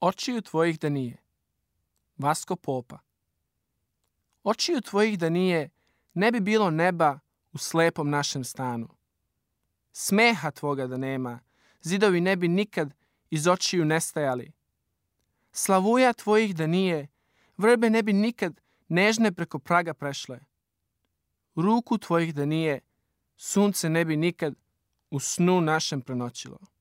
Očiju tvojih da nije. Vasko Popa. Očiju tvojih da nije, ne bi bilo neba u slepom našem stanu. Smeha tvoga da nema, zidovi ne bi nikad iz očiju nestajali. Slavuja tvojih da nije, vrbe ne bi nikad nežne preko praga prešle. Ruku tvojih da nije, sunce ne bi nikad u snu našem prenoćilo.